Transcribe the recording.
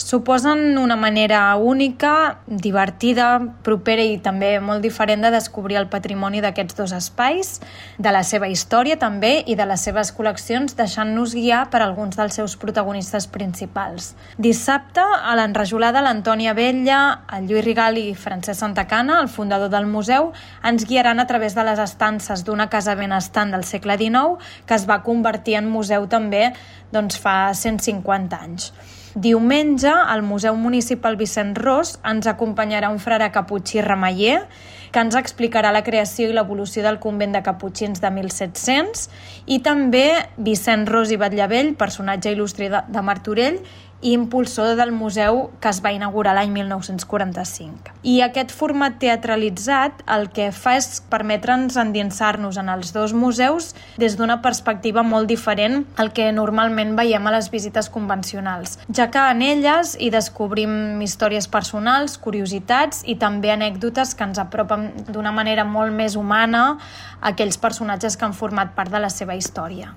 Suposen una manera única, divertida, propera i també molt diferent de descobrir el patrimoni d'aquests dos espais, de la seva història també i de les seves col·leccions, deixant-nos guiar per alguns dels seus protagonistes principals. Dissabte, a l'enrajolada, l'Antònia Vetlla, el Lluís Rigal i Francesc Santacana, el fundador del museu, ens guiaran a través de les estances d'una casa benestant del segle XIX que es va convertir en museu també fa 150 anys. Diumenge, al Museu Municipal Vicent Ros ens acompanyarà un frare caputxí remeller que ens explicarà la creació i l'evolució del convent de caputxins de 1700 i també Vicent Ros i Batllevell, personatge il·lustre de Martorell i impulsor del museu que es va inaugurar l'any 1945. I aquest format teatralitzat el que fa és permetre'ns endinsar-nos en els dos museus des d'una perspectiva molt diferent al que normalment veiem a les visites convencionals, ja que en elles hi descobrim històries personals, curiositats i també anècdotes que ens apropen d'una manera molt més humana a aquells personatges que han format part de la seva història.